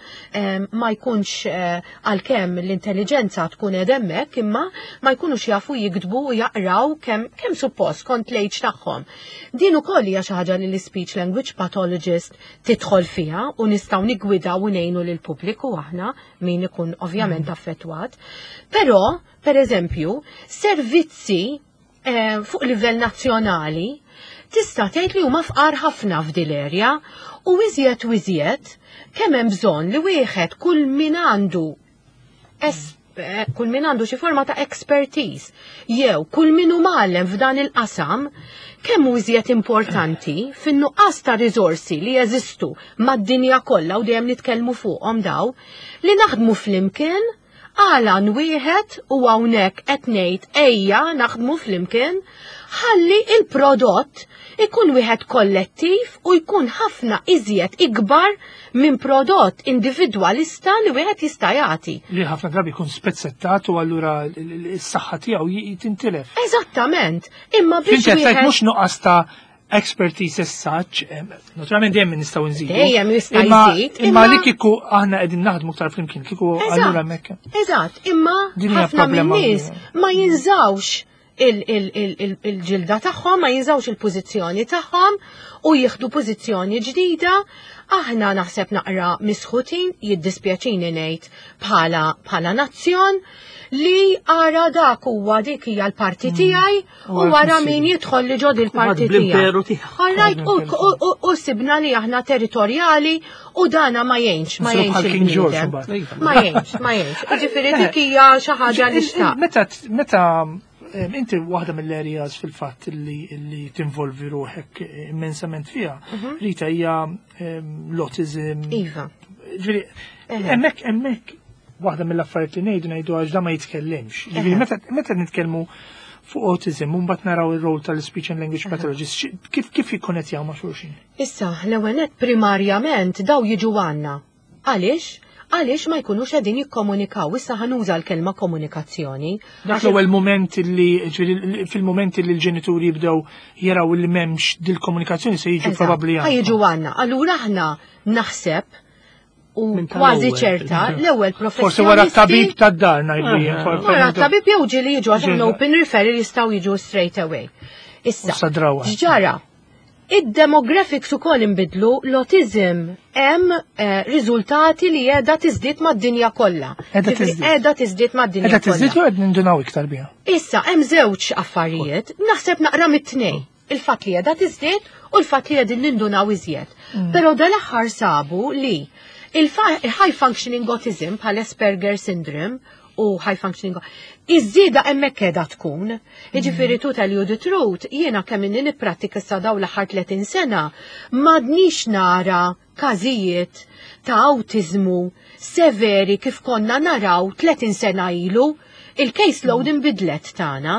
ma jkunx għalkemm l-intelligenza tkun qed hemmhekk, imma ma jkunux jafu jiktbu u jaqraw kemm suppost kont l-age tagħhom. Din ukoll hija xi ħaġa li l-speech language pathologist tidħol fiha u nistgħu niggwidaw u ngħinu lill-pubbliku aħna min ikun ovvjament affettwat. Però, per eżempju, servizzi fuq livell nazzjonali tista' tgħid li huma fqar ħafna f'dil area u iżjed u iżjed kemm hemm bżonn li wieħed kull min għandu xi forma ta' expertise jew kull min hu mgħallem f'dan il-qasam, kemm hu iżjed importanti fin-nuqqas ta' riżorsi li jeżistu mad-dinja kollha u dejjem nitkellmu fuqhom daw, li naħdmu flimkien għal wieħed. U hawnhekk qed ngħid ejja naħdmu flimkien ħalli il-prodott ikun wieħed kollettiv u jkun ħafna iżjed ikbar minn prodott individwalista li wieħed jista' jagħti. Li ħafna drabi jkun spezzettat u allura s-saħħa tiegħu tintilef. Eżattament, imma biex Inti qed mhux nuqqas ta' expertise as such, naturalment dejjem nistgħu nżidu. Dejjem jista' jżid. Imma li kieku aħna qegħdin naħdmu aktar flimkien, kieku allura hemmhekk. Eżatt, imma ħafna min-nies ma jinżawx il-ġilda tagħhom, ma jinżawx il-pożizzjoni tagħhom u jieħdu pożizzjoni ġdida. Aħna naħseb naqra misħutin, jiddispjaċini ngħid, bħala nazzjon li ara dak huwa dik hija l-parti tiegħi u wara min jidħol li ġod il-parti tiegħi. All right, u sibna li aħna territorjali u dana ma jgħinx, ma jgħinx. Ma jgħinx, ma jgħinx. Ġifieri dik hija xi ħaġa li xtaq. Meta inti waħda mill-areas fil-fatt li tinvolvi ruħek immensament fiha, Rita, hija l-autism. Iva. Ġifieri, hemmhekk waħda mill-affarijiet li ngħidu għax da ma jitkellimx. Ġifieri meta nitkellmu fuq autism, mbagħad naraw ir-rol tal-speech and language pathologist, kif jikkonnettjaw ma' xulxin? Issa, l-ewwel primarjament daw jiġu għandna. Għaliex? Għaliex ma jkunux qegħdin jikkomunikaw. Issa ħa nuża l-kelma komunikazzjoni. Dak l-ewwel moment li, fil-moment li l-ġenituri jibdew jaraw li m'hemmx dil-komunikazzjoni, se jiġu probabbli għandna. Jiġu għandna. Allura aħna naħseb u kważi ċerta l-ewwel professjonisti. Forsi wara t-tabib tad-dar ngħidu. Wara t-tabib jew ġieli jiġu għax open referral, jistgħu jiġu straight away. Issa, x'ġara? Id-demographics ukoll inbidlu, l-autism hemm riżultati li qiegħda tiżdied mad-dinja kollha. Qiegħda tiżdied mad-dinja kollha. Qiegħda tiżdied u qed nindunaw iktar biha. Issa hemm żewġ affarijiet, naħseb naqra mit-tnejn. Il-fatt li qiegħda tiżdied u l-fatt li qegħdin nindunaw iżjed. Però dal-aħħar sabu li il-high functioning autism bħal Asperger syndrome u high functioning, iż-żieda hemmhekk qiegħda tkun. Jiġifieri, to tell you the truth, jiena kemm inni nipprattika sa daw l-aħħar 30 sena, m'għadnix nara każijiet ta' autizmu severi kif konna naraw 30 sena ilu. Il-case load inbidlet tagħna.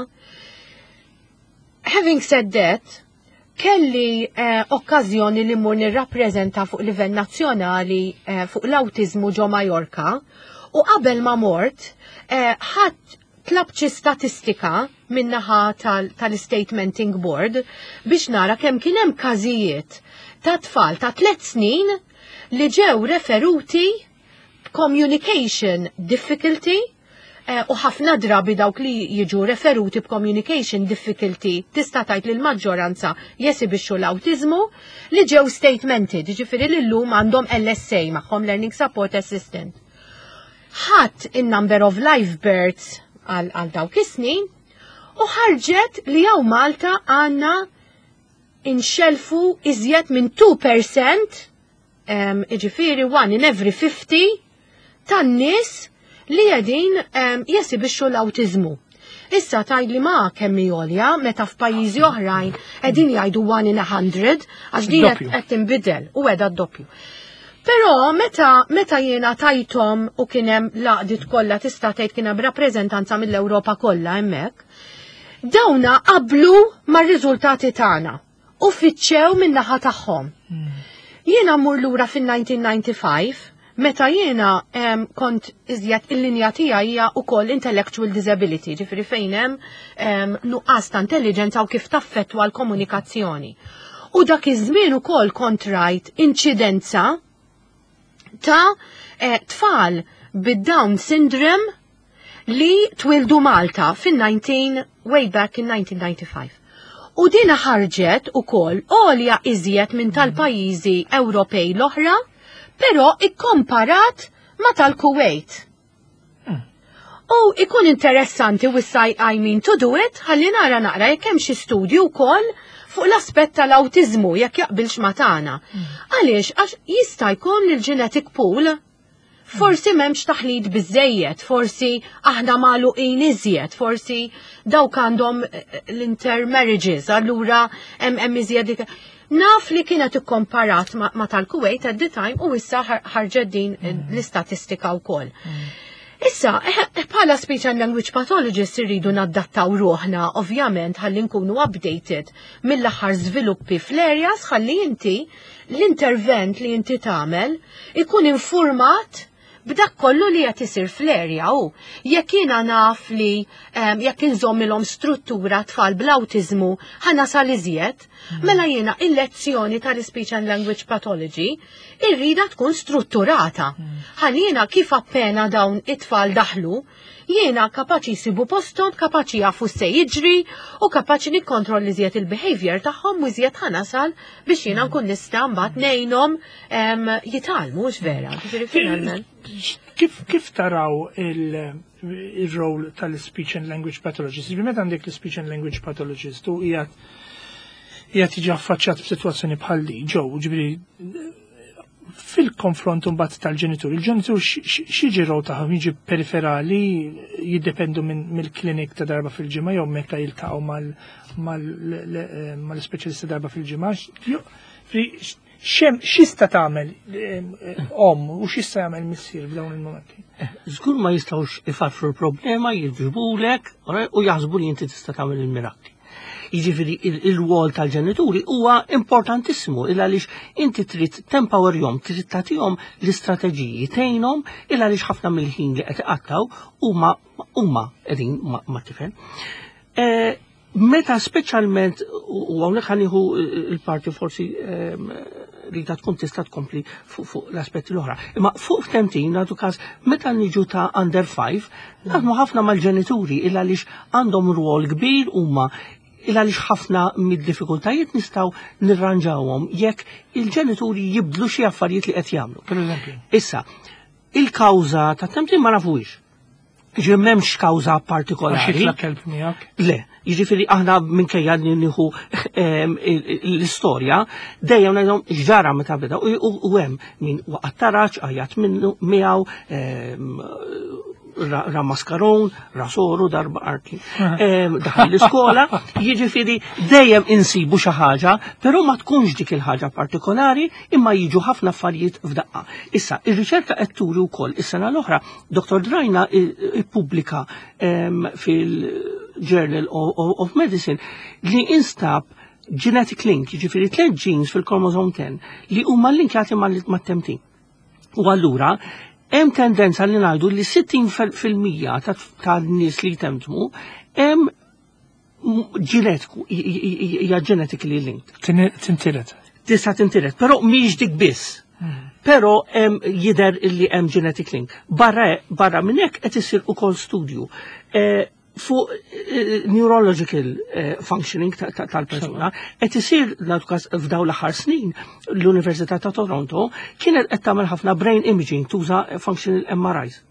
Having said that, kelli okkażjoni li mmur nirrappreżenta fuq livell nazzjonali fuq l-autizmu ġo Majorka u qabel ma mort ħadd tlab xi statistika minnaħa tal-Statementing Board biex nara kemm kien hemm każijiet ta' tfal ta' 3 snin li ġew referuti communication difficulty u ħafna drabi dawk li jiġu referuti b'communication difficulty tista' tgħid li l-maġġoranza jesibixxu l-awtiżmu li ġew statemented, jiġifieri li llum għandhom LSA magħhom, Learning Support Assistant. Ħadd in-number of live births għal dawk is-snin u ħarġet li hawn Malta għandna inxelfu iżjed minn 2%, ġifieri 1 in every 50 tan-nies li qegħdin jesibixxu l-awtiżmu. Issa tgħid li ma kemm għolja meta f'pajjiżi oħrajn qegħdin jgħidu 1 in 100, għax din qed tinbidel u qiegħda d-doppju. Però meta jiena tajthom u kien hemm l-għaqdiet kollha, tista' tgħid kien hemm rappreżentanza mill-Ewropa kollha hemmhekk, dawna qablu mar-riżultati tagħna u fittxew min-naħa tagħhom. Jiena mmur lura fin-1995. Meta jiena kont iżjed il-linja tiegħi hija wkoll intellectual disability, ġifieri fejn hemm nuqqas ta' intelligenza u kif taffettwa l-komunikazzjoni. U dak iż-żmien ukoll kont rajt inċidenza ta' tfal bid-Down syndrome li twildu Malta fin-19 way back in 1995. U dina ħarġet ukoll għolja iżjed minn tal-pajjiżi Ewropej l-oħra, però ikkomparat ma tal-Kuwait. U ikun interessanti u issa I mean to do it, ħalli nara naqra jekk hemm xi studju wkoll fuq l-aspett tal-awtiżmu jekk jaqbilx ma tagħna. Għaliex għax jista' jkun il-genetic pool forsi m'hemmx taħlit biżejjed, forsi aħna magħluqin iżjed, forsi dawk għandhom l-intermarriages, allura hemm iżjed Naf li kienet ikkomparat ma tal-Kuwait at the time u issa ħarġet din l-istatistika wkoll. Issa, bħala speech and language pathologist irridu naddattaw ruħna, ovvjament, ħalli nkunu updated mill-aħħar żviluppi fl-areas ħalli inti l-intervent li inti tagħmel ikun informat b'dak kollu li qed isir fl-area u jekk jiena naf li jekk inżommilhom struttura tfal bl-awtiżmu ħa nasal iżjed, mela jiena il-lezzjoni tal-speech and language pathology irrida tkun strutturata. Ħalli jiena kif appena dawn it-tfal daħlu, jiena kapaċi jsibu posthom, kapaċi jafu se jiġri u kapaċi nikkontrolli iżjed il-behavior tagħhom u iżjed ħa nasal biex jiena nkun nista' mbagħad ngħinhom jitgħallmu, mhux vera. Ġifieri finalment. Kif taraw il-role tal-speech and language pathologist? Ġifieri meta għandek l-speech and language pathologist u qiegħed jiġi affaċċjat b'sitwazzjoni bħal di, ġew, ġifieri fil-konfront mbagħad tal-ġenitur, il-ġenitur x'jiġi role tagħhom jiġi periferali, jiddependu mill-klinik ta' darba fil-ġimgħa jew meta jiltaqgħu mal-ispeċjalista darba fil-ġimgħa. X'jista' tagħmel om u x'jista' jagħmel missier f'dawn il-momenti? Żgur ma jistgħux ifarfru l-problema, jiġbulek u jaħsbu li inti tista' tagħmel il-mirakli. Jiġifieri il-rwol tal-ġenituri huwa importantissimu il għaliex inti trid tempowerjhom, trid tagħtihom l-istrateġiji tgħinhom il għaliex ħafna mill-ħin li qed iqattaw huma huma qegħdin ma' tifel. Meta speċjalment u hawnhekk ħa nieħu il-parti forsi li ta' tkun tista' tkompli fuq l-aspetti l-oħra. Imma fuq f'temtim nagħtu każ meta niġu ta' under 5, naħdmu ħafna mal-ġenituri il għaliex għandhom rwol kbir huma il għaliex ħafna mid-diffikultajiet nistgħu nirranġawhom jekk il-ġenituri jibdlu xi affarijiet li qed jagħmlu. Per eżempju. Issa, il-kawża ta' temtim ma nafux. Ġifieri m'hemmx kawża partikolari. Għax jitla' kelb miegħek? Le, jiġifieri aħna minkejja li nieħu l-istorja, dejjem ngħidhom x'ġara meta beda u hemm min waqgħat taraġ, għajat minnu miegħu, ra maskaron, ra soru, darba arki. Daħal l-iskola, jiġifieri dejjem insibu xi ħaġa, però ma tkunx dik il-ħaġa partikolari, imma jiġu ħafna affarijiet f'daqqa. Issa, ir-riċerka qed turi wkoll is-sena l-oħra, Dr. Drajna ippubblika fil-Journal of Medicine li instab genetic link, jiġifieri tliet genes fil-chromosome 10 li huma linkjati mat-temtim. U allura hemm tendenza li ngħidu li 60% tan-nies li jtemtmu hemm ġenetiku, hija genetically linked. Tintiret. Tista' tintiret, però mhix dik biss. Però hemm jidher li hemm genetic link. Barra minn hekk qed isir ukoll studju fuq neurological functioning tal-persuna. Qed isir nagħtu każ f'dawn l-aħħar snin l-Università ta' Toronto kienet qed tagħmel ħafna brain imaging tuża functional MRIs.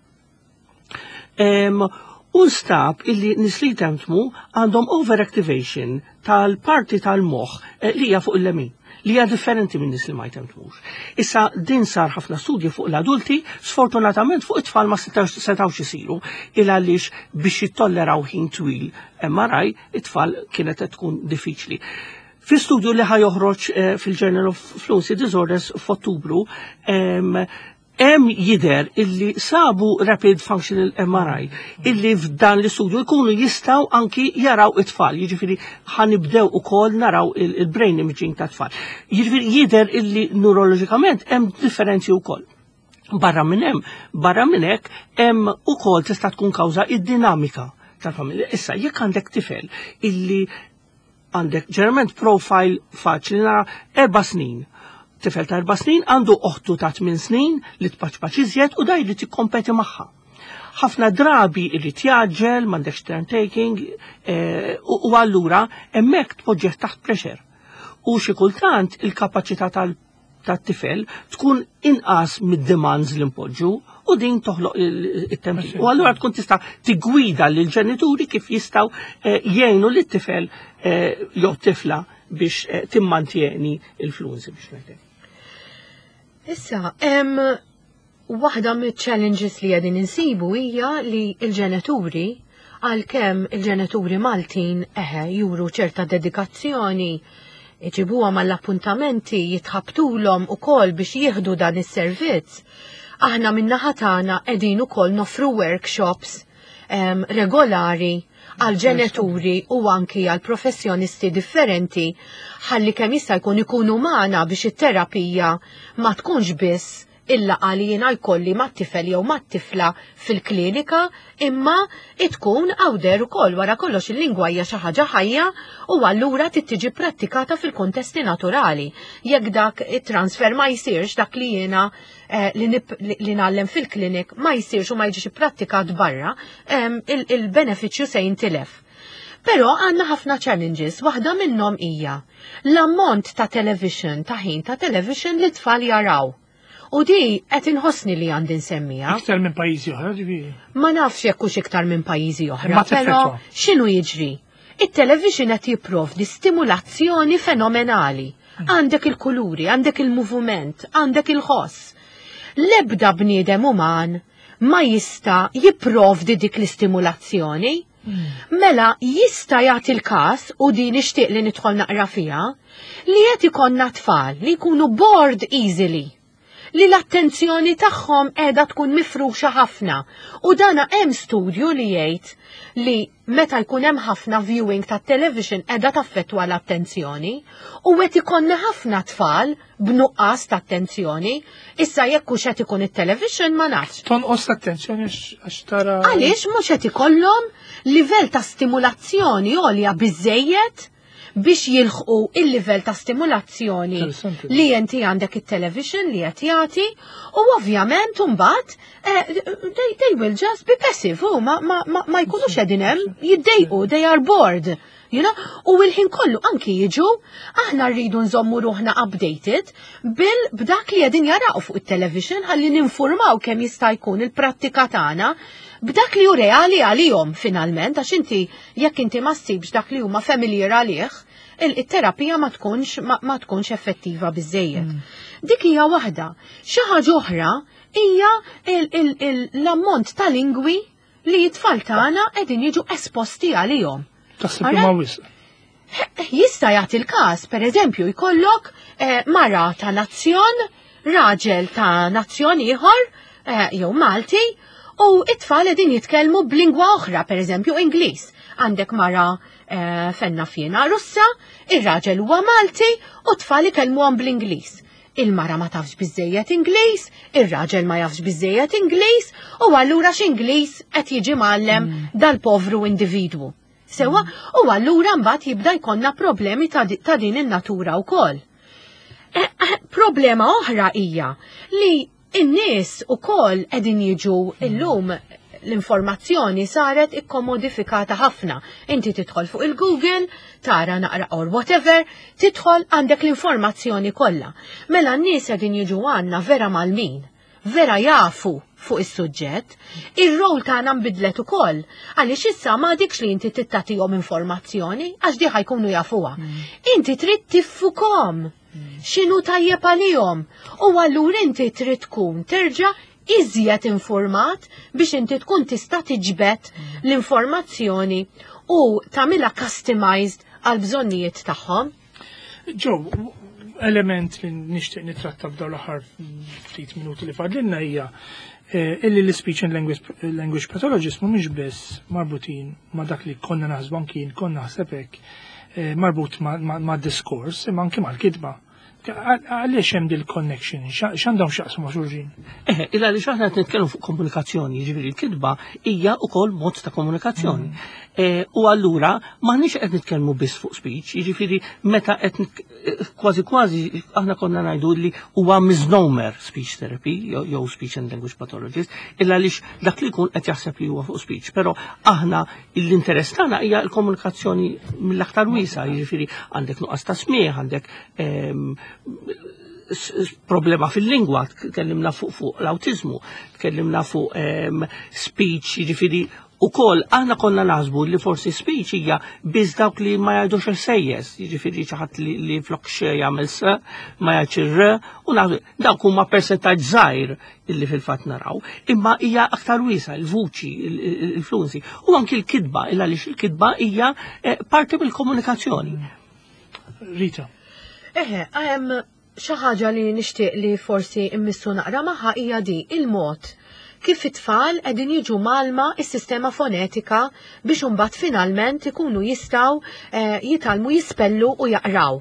U nstab illi nies li jtemtmu għandhom overactivation tal-parti tal-moħħ li hija fuq il-lemin, li hija differenti minn nies li ma jtemtmux. Issa din sar ħafna studji fuq l-adulti, sfortunatament fuq it-tfal ma setawx isiru, il għaliex biex jittolleraw ħin twil MRI, it-tfal kienet qed tkun diffiċli. Fi studju li ħa joħroġ fil-Journal of Fluency Disorders f'Ottubru, hemm jidher illi sabu rapid functional MRI illi f'dan l-istudju jkunu jistgħu anki jaraw it-tfal, jiġifieri ħanibdew ukoll naraw il-brain imaging ta' tfal. Jiġifieri jidher illi neurologikament hemm differenzi wkoll. Barra minn hemm, barra minn hekk hemm ukoll tista' tkun kawża id-dinamika tal-familja. Issa jekk għandek tifel illi għandek ġeneralment profile faċli nara 4 snin. Tifel ta' 4 snin għandu oħtu ta' 8 snin li tpaċpaċ iżjed u da jrid jikkompeti magħha. Ħafna drabi irrid jgħaġġel, m'għandekx turn taking, u allura hemmhekk tpoġġih taħt pressure. U xi kultant il-kapaċità tat-tifel tkun inqas mid-demands li npoġġu u din toħloq it-tempi. U allura tkun tista' tigwida lil ġenituri kif jistgħu jgħinu lit-tifel jew tifla biex timmantjeni il-fluency, biex ngħidlek. Issa, waħda mit-challenges li qegħdin insibu hija li l-ġenituri, għalkemm il-ġenituri Maltin eħe juru ċerta dedikazzjoni, iġibuha mal-appuntamenti, jitħabtulhom ukoll biex jieħdu dan is-servizz. Aħna min-naħa tagħna qegħdin ukoll nofru workshops regolari għal ġenituri u anki għal professjonisti differenti ħalli kemm jista' jkun ikunu magħna biex it-terapija ma tkunx biss il-laqgħa li jiena jkolli mat-tifel jew mat-tifla fil-klinika, imma tkun għawder ukoll. Wara kollox, il-lingwa hija xi ħaġa ħajja u allura trid tiġi prattikata fil-kontesti naturali. Jekk dak it-transfer ma jsirx, dak li jiena li ngħallem fil-klinik ma jsirx u ma jiġix ipprattikat barra, il-benefiċċju se jintilef. Però għandna ħafna challenges, waħda minnhom hija l-ammont ta' television, ta' ħin ta' television li tfal jaraw. U di qed inħossni li għandi nsemmija. Iktar minn pajjiżi oħra, ġifieri. Ma nafx jekk hux iktar minn pajjiżi oħra, Ma però teffettwa. x'inhu jiġri? It-television qed jipprovdi stimulazzjoni fenomenali. Għandek il-kuluri, għandek il-moviment, għandek il-ħoss. L-ebda bniedem uman ma jista' jipprovdi dik l-istimulazzjoni. Mela jista' jagħti l-każ, u di nixtieq li nidħol naqra fiha, li qed ikollna tfal li jkunu bored easily, li l-attenzjoni tagħhom qiegħda tkun mifruxa ħafna. U dana hemm studju li jgħid li meta jkun hemm ħafna viewing ta' television qiegħda taffettwa l-attenzjoni u qed ikollna ħafna tfal b'nuqqas ta' attenzjoni. Issa jekk hux qed ikun it-television, ma nafx. Tonqos l-attenzjoni għax tara. Għaliex mhux qed ikollhom livell ta' stimulazzjoni għolja biżejjed biex jilħqu il-livell ta' stimulazzjoni li inti għandek it-television li qed jagħti u ovvjament imbagħad they will just be passive u ma jkunux qegħdin hemm jiddejqu, they are bored. U il-ħin kollu anki jiġu, aħna rridu nżommu ruħna updated bil b'dak li qegħdin jaraw fuq it-television ħalli ninformaw kemm jista' jkun il-prattika tagħna b'dak li hu reali għalihom finalment, għax inti jekk inti ma ssibx dak li huma familiar għalih, il-terapija ma tkunx effettiva biżejjed. Dik hija waħda. Xi ħaġa oħra hija l-ammont ta' lingwi li t-tfal tagħna qegħdin jiġu esposti għalihom. Taħseb li ma wisq. Jista' jagħti l-każ, pereżempju, jkollok mara ta' nazzjon, raġel ta' nazzjon ieħor, jew Malti, u it-tfal qegħdin jitkellmu b'lingwa oħra, pereżempju Ingliż. Għandek mara fenna fjena Russa, ir-raġel huwa Malti u t-tfal ikellmuhom bl-Ingliż. Il-mara ma tafx biżejjed Ingliż, ir-raġel ma jafx biżejjed Ingliż, u allura x'Ingliż qed jiġi mgħallem dal-povru individwu? Sewa, u allura mbagħad jibda jkollna problemi ta' din in-natura wkoll. Problema oħra hija li n-nies ukoll qegħdin jiġu illum, l-informazzjoni saret ikkomodifikata ħafna. Inti tidħol fuq il-Google, tara naqra or whatever, tidħol, għandek l-informazzjoni kollha. Mela n-nies qegħdin jiġu għandna vera mgħallmin, vera jafu fuq is-suġġett, ir-rol tagħna nbidlet ukoll. Għaliex issa ma dikx li inti tagħtihom informazzjoni, għax di ħa jkunu jafuha. Inti trid tifhimhom x'inhu tajjeb għalihom. U allura inti trid tkun terġa' iżjed informat biex inti tkun tista' tiġbed l-informazzjoni u tagħmilha customized għal bżonnijiet tagħhom. Ġo, element li nixtieq nitratta f'dawn l-aħħar ftit minuti li fadlilna hija illi l-speech and language pathologist mhumiex biss marbutin ma' dak li konna naħsbu, anki konna naħseb hekk, marbut ma' diskors, imma anki mal-kitba. Għaliex hemm dil-connection? X'għandhom x'jaqsmu ma' xulxin? Eh, illa li xaħna qed nitkellmu fuq komunikazzjoni, jiġifieri l-kitba hija wkoll mod ta' komunikazzjoni. Eh, u allura m'aħniex qed nitkellmu biss fuq speech, jiġifieri meta qed eh, kważi kważi aħna konna ngħidu li huwa misnomer speech therapy jew speech and language pathologist, illa għaliex dak li jkun qed jaħseb li huwa fuq speech, però aħna l-interess tagħna hija l-komunikazzjoni mill-aktar wiesa, jiġifieri għandek nuqqas ta' smieħ, għandek problema fil-lingwa, tkellimna fuq fuq l-autizmu, tkellimna fuq speech, jiġifieri u kol aħna konna naħsbu li forsi speech hija biss dawk li ma jgħidux il-sejjes, jiġifieri xi ħadd li, li flok x jagħmel s, ma jgħidx ir-r, u naħsbu dawk huma percentaġġ żgħir illi fil-fatt naraw, imma hija aktar wiesa il-vuċi, il-fluency, u anki l-kitba, illa għaliex il-kitba hija eh, parti mill-komunikazzjoni. Rita. Eħe, hemm xi ħaġa li nixtieq li forsi immissu naqra magħha hija di il-mod kif it-tfal qegħdin jiġu malma is-sistema fonetika biex imbagħad finalment ikunu jistgħu eh, jitgħallmu jispellu u jaqraw.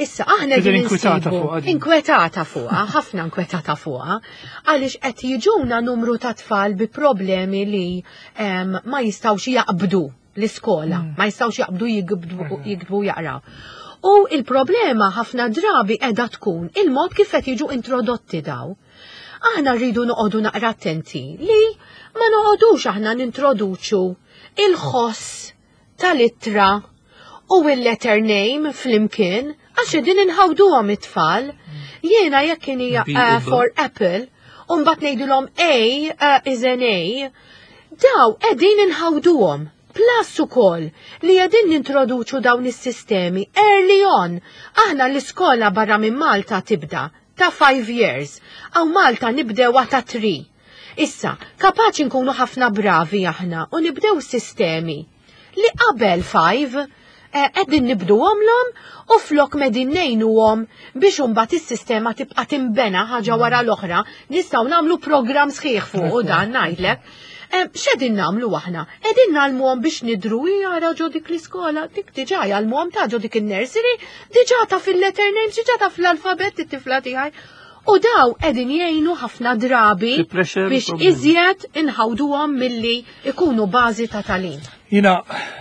Issa aħna qegħdin inkwetata fuqha. Inkwetata fuqha, ħafna inkwetata fuqha, għaliex qed jiġuna numru ta' tfal bi problemi li ma jistgħux jaqbdu l-iskola, ma jistgħux jaqbdu jiktbu jaqraw. U il-problema ħafna drabi qiegħda tkun il-mod kif qed jiġu introdotti daw. Aħna rridu noqogħdu naqra attenti li ma noqogħdux aħna nintroduċu il-ħoss tal-ittra u il-letter name flimkien għax din inħawduhom it-tfal. Jiena jekk kien hija for Apple, u mbagħad ngħidulhom A is an A, daw qegħdin inħawduhom. Plus ukoll li qegħdin nintroduċu dawn is-sistemi early on. Aħna l-iskola barra minn Malta tibda ta' 5 years, hawn Malta nibdewha ta' 3. Issa, kapaċi nkunu ħafna bravi aħna u nibdew sistemi li qabel 5 qegħdin nibduhomlhom u flok medin ngħinuhom biex imbagħad is-sistema tibqa' timbena ħaġa wara l-oħra, nistgħu nagħmlu programm sħiħ fuq u dan ngħidlek. X'qegħdin nagħmlu aħna? Qegħdin nagħlmuhom biex nidru jara ġo dik l-iskola, dik diġà jgħallmuhom ta' ġo dik in-nursery, diġà ta' fil-letter names, diġà ta' fl-alfabett it-tifla tiegħi. U daw qegħdin jgħinu ħafna drabi biex iżjed inħawduhom milli ikunu bażi ta' tagħlim. Jina,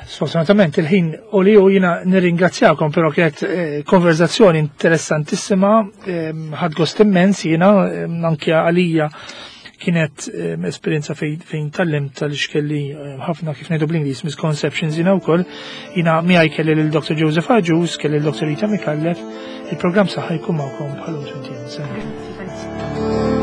sfortunatament, il-ħin u li u jina nirringrazzjakom, pero kienet eh, konverzazzjoni interessantissima, eh, ħad gost immens jina, eh, anke għalija kienet esperienza fejn tallimt tal kelli ħafna kif ngħidu bl-Ingliż misconceptions jina wkoll. Jina miegħi kelli lil Dr. Joseph Agius, kelli lil Dr. Rita Micallef, il-programm saħħa jkun magħkom bħalhom 20 sena.